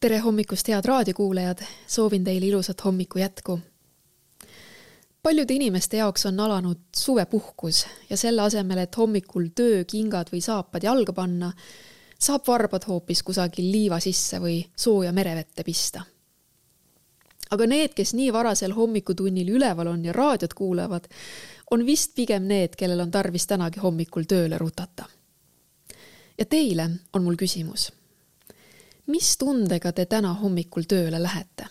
Tere hommikust, head raadiokuulajad! Soovin teile ilusat hommiku jätku. Paljude inimeste jaoks on alanud suvepuhkus ja selle asemel, et hommikul töö, kingad või saapad jalga panna, saab varbad hoopis kusagil liiva sisse või sooja merevette pista. Aga need, kes nii varasel hommikutunnil üleval on ja raadiot kuulavad, on vist pigem need, kellel on tarvis tänagi hommikul tööle rutata. Ja teile on mul küsimus. Mis tundega te täna hommikul tööle lähete?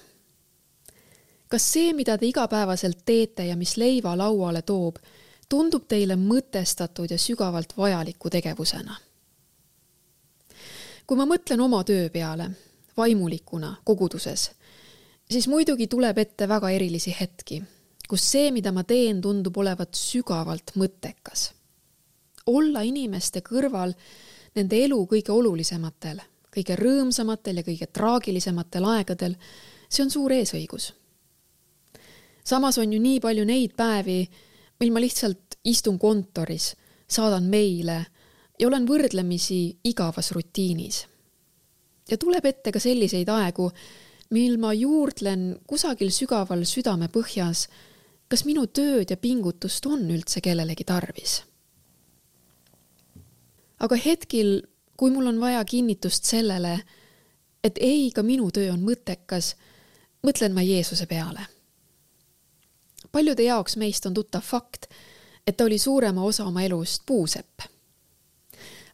Kas see, mida te igapäevaselt teete ja mis leiva lauale toob, tundub teile mõtestatud ja sügavalt vajaliku tegevusena? Kui ma mõtlen oma töö peale, vaimulikuna, koguduses, siis muidugi tuleb ette väga erilisi hetki, kus see, mida ma teen, tundub olevat sügavalt mõttekas. Olla inimeste kõrval nende elu kõige olulisematel, kõige rõõmsamatel ja kõige traagilisematel aegadel, see on suur eesõigus. Samas on ju nii palju neid päevi, mil ma lihtsalt istun kontoris, saadan meile ja olen võrdlemisi igavas rutiinis. Ja tuleb ette ka selliseid aegu, mil ma juurdlen kusagil sügaval südame põhjas, kas minu tööd ja pingutust on üldse kellelegi tarvis. Aga hetkil, kui mul on vaja kinnitust sellele, et ei, ka minu töö on mõttekas, mõtlen ma Jeesuse peale. Paljude jaoks meist on tuttav fakt, et ta oli suurema osa oma elust puusepp.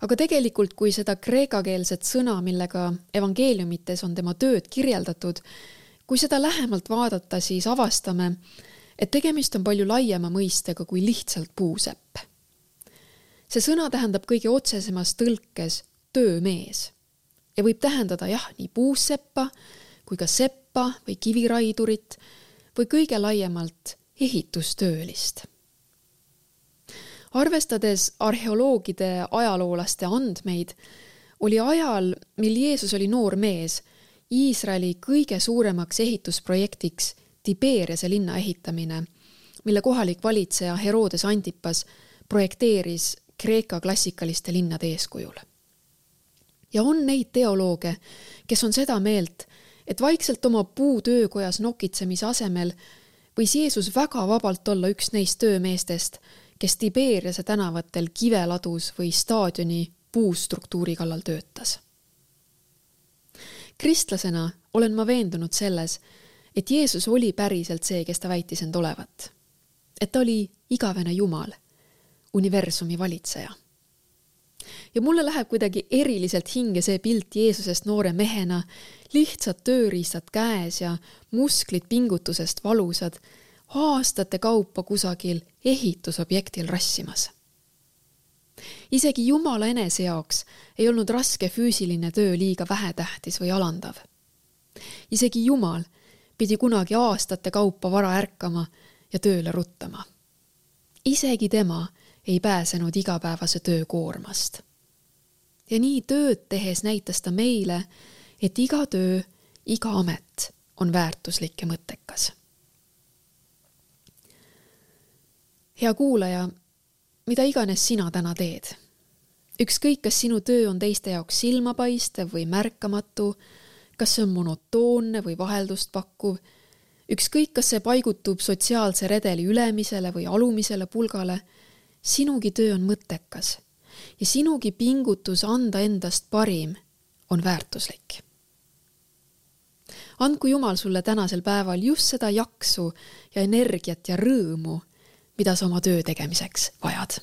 Aga tegelikult, kui seda kreekakeelset sõna, millega evangeeliumites on tema tööd kirjeldatud, kui seda lähemalt vaadata, siis avastame, et tegemist on palju laiema mõistega kui lihtsalt puusepp. See sõna tähendab kõige otsesemas tõlkes töömees ja võib tähendada nii puuseppa kui ka seppa või kiviraidurit või kõige laiemalt ehitustöölist. Arvestades arheoloogide ajaloolaste andmeid, oli ajal, mil Jeesus oli noor mees, Iisraeli kõige suuremaks ehitusprojektiks Tiberiase linna ehitamine, mille kohalik valitseja Herodes Antipas projekteeris Kreeka klassikaliste linnade eeskujul. Ja on neid teolooge, kes on seda meelt, et vaikselt oma puutöökojas nokitsemise asemel võis Jeesus väga vabalt olla üks neist töömeestest, kes Tiberiase tänavatel kiveladus või staadioni puustruktuuri kallal töötas. Kristlasena olen ma veendunud selles, et Jeesus oli päriselt see, kes ta väitis end olevat. Et ta oli igavene Jumal, universumi valitseja. Ja mulle läheb kuidagi eriliselt hinge see pilt Jeesusest noore mehena, lihtsad tööriistad käes ja musklid pingutusest valusad, aastate kaupa kusagil ehitusobjektil rassimas. Isegi Jumala enese jaoks ei olnud raske füüsiline töö liiga vähetähtis või alandav. Isegi Jumal pidi kunagi aastate kaupa vara ärkama ja tööle ruttama. Isegi tema ei pääsenud igapäevase töö koormast. Ja nii tööd tehes näitas ta meile, et iga töö, iga amet on väärtuslik ja mõttekas. Hea kuulaja, mida iganes sina täna teed? Ükskõik, kas sinu töö on teiste jaoks silmapaistev või märkamatu, kas see on monotoonne või vaheldust pakkuv, ükskõik, kas see paigutub sotsiaalse redeli ülemisele või alumisele pulgale, sinugi töö on mõttekas ja sinugi pingutus anda endast parim on väärtuslik. Andku Jumal sulle tänasel päeval just seda jaksu ja energiat ja rõõmu, mida sa oma töö tegemiseks vajad.